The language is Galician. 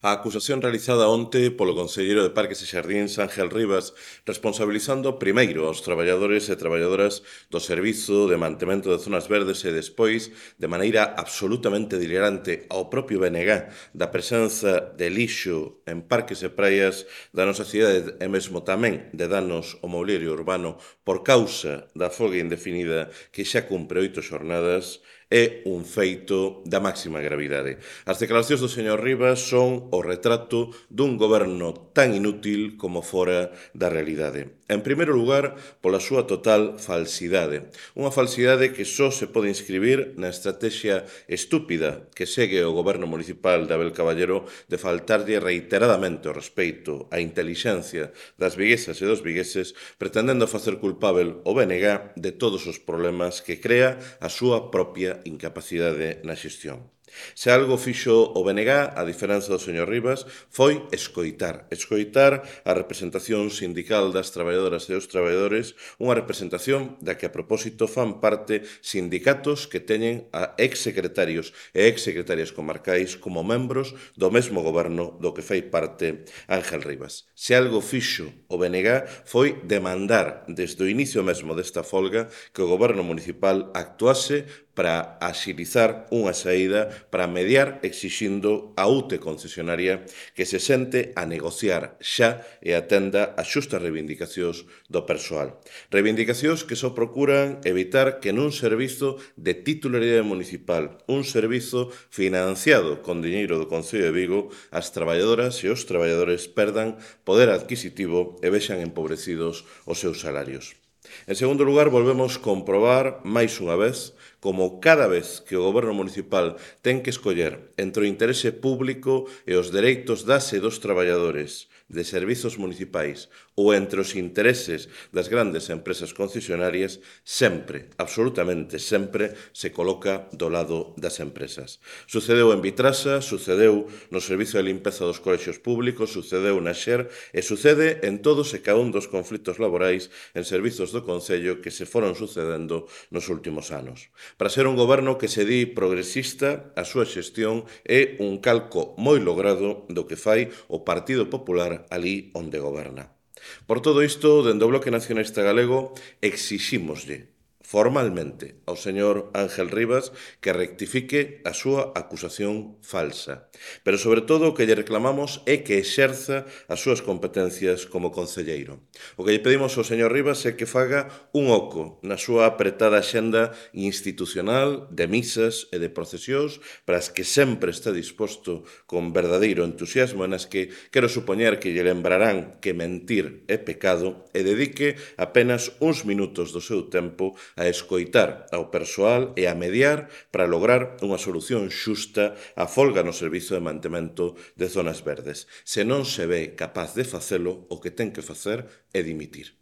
A acusación realizada onte polo conselleiro de Parques e Xardíns Ángel Rivas, responsabilizando primeiro aos traballadores e traballadoras do Servizo de Mantemento de Zonas Verdes e despois, de maneira absolutamente delirante, ao propio BNG da presenza de lixo en parques e praias da nosa cidade e mesmo tamén de danos ao mobiliario urbano por causa da folga indefinida que xa cumpre 8 xornadas, é un feito da máxima gravidade. As declaracións do señor Rivas son o retrato dun goberno tan inútil como fora da realidade. En primeiro lugar, pola súa total falsidade. Unha falsidade que só se pode inscribir na estrategia estúpida que segue o goberno municipal de Abel Caballero de faltarlle reiteradamente o respeito á intelixencia das viguesas e dos vigueses, pretendendo facer culpável o BNG de todos os problemas que crea a súa propia incapacidade na xestión. Se algo fixo o BNG, a diferenza do señor Rivas, foi escoitar a representación sindical das traballadoras e dos traballadores, unha representación da que a propósito fan parte sindicatos que teñen a exsecretarios e exsecretarias comarcais como membros do mesmo goberno do que fai parte Ángel Rivas. Se algo fixo o BNG foi demandar desde o inicio mesmo desta folga que o goberno municipal actuase para axilizar unha saída, para mediar exixindo a UTE concesionaria que se sente a negociar xa e atenda as xustas reivindicacións do persoal. Reivindicacións que só procuran evitar que nun servizo de titularidade municipal, un servizo financiado con diñeiro do Concello de Vigo, as traballadoras e os traballadores perdan poder adquisitivo e vexan empobrecidos os seus salarios. En segundo lugar, volvemos comprobar, máis unha vez, como cada vez que o goberno municipal ten que escoller entre o interese público e os dereitos das e dos traballadores de servizos municipais ou entre os intereses das grandes empresas concesionarias, sempre, absolutamente sempre, se coloca do lado das empresas. Sucedeu en Vitrasa, sucedeu no Servizo de Limpeza dos Colexios Públicos, sucedeu na XER e sucede en todos e cada un dos conflitos laborais en servizos do Concello que se foron sucedendo nos últimos anos. Para ser un goberno que se di progresista, a súa xestión é un calco moi logrado do que fai o Partido Popular ali onde goberna. Por todo isto, dende o Bloque Nacionalista Galego, exixímoslle formalmente ao señor Ángel Rivas que rectifique a súa acusación falsa. Pero, sobre todo, o que lle reclamamos é que exerza as súas competencias como concelleiro. O que lle pedimos ao señor Rivas é que faga un oco na súa apretada xenda institucional de misas e de procesións para as que sempre está disposto con verdadeiro entusiasmo e nas que quero supoñer que lle lembrarán que mentir é pecado e dedique apenas uns minutos do seu tempo a escoitar ao persoal e a mediar para lograr unha solución xusta á folga no Servizo de Mantemento de Zonas Verdes. Se non se ve capaz de facelo, o que ten que facer é dimitir.